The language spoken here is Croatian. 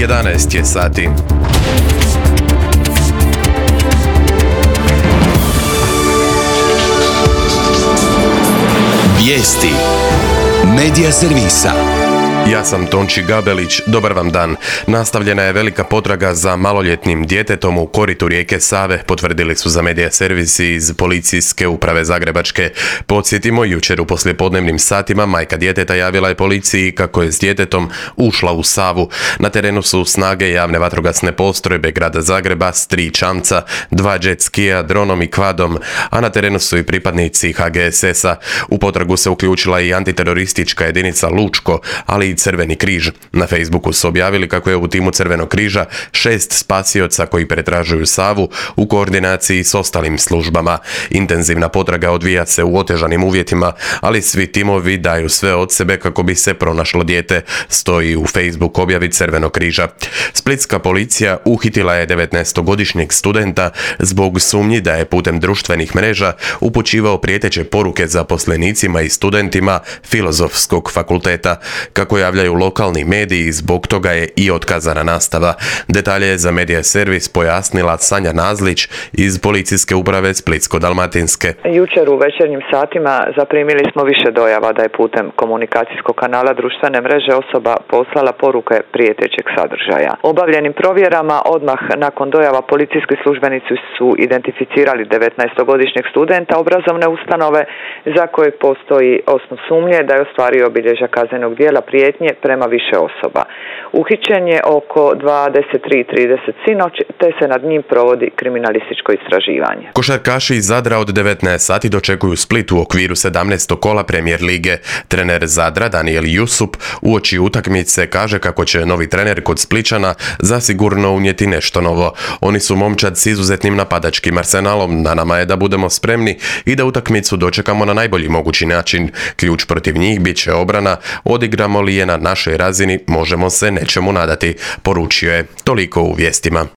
11 je sati. Vijesti Medija servisa. Ja sam Tonči Gabelić, dobar vam dan. Nastavljena je velika potraga za maloljetnim djetetom u koritu rijeke Save, potvrdili su za Medija servisi iz Policijske uprave Zagrebačke. Podsjetimo, jučer u poslijepodnevnim satima majka djeteta javila je policiji kako je s djetetom ušla u Savu. Na terenu su snage javne vatrogasne postrojbe grada Zagreba s 3 čamca, 2 jet skija, dronom i kvadom, a na terenu su i pripadnici HGSS-a. U potragu se uključila i antiteroristička jedinica Lučko, ali i Crveni križ. Na Facebooku su objavili kako je u timu Crvenog križa 6 spasioca koji pretražuju Savu u koordinaciji s ostalim službama. Intenzivna potraga odvija se u otežanim uvjetima, ali svi timovi daju sve od sebe kako bi se pronašlo dijete, stoji u Facebook objavi Crvenog križa. Splitska policija uhitila je 19-godišnjeg studenta zbog sumnji da je putem društvenih mreža upućivao prijeteće poruke zaposlenicima i studentima Filozofskog fakulteta. Kako javljaju lokalni mediji, zbog toga je i otkazana nastava. Detalje je za Medija servis pojasnila Sanja Nazlić iz Policijske uprave Splitsko-dalmatinske. Jučer u večernjim satima zaprimili smo više dojava da je putem komunikacijskog kanala društvene mreže osoba poslala poruke prijetećeg sadržaja. Obavljenim provjerama odmah nakon dojava policijski službenici su identificirali 19-godišnjeg studenta obrazovne ustanove za kojeg postoji osnov sumnje da je ostvario obilježja kaznenog djela prijetnje prema više osoba. Uhićen je oko 23:30 sinoć, te se nad njim provodi kriminalističko istraživanje. Košarkaši iz Zadra od 19 sati dočekuju Split u okviru 17. kola Premijer lige. Trener Zadra Daniel Jusup uoči utakmice kaže kako će novi trener kod Splićana zasigurno unijeti nešto novo. Oni su momčad s izuzetnim napadačkim arsenalom, na nama je da budemo spremni i da utakmicu dočekamo na najbolji mogući način. Ključ protiv njih bit će obrana, odigramo li je na našoj razini možemo se nečemu nadati, poručio je. Toliko u vijestima.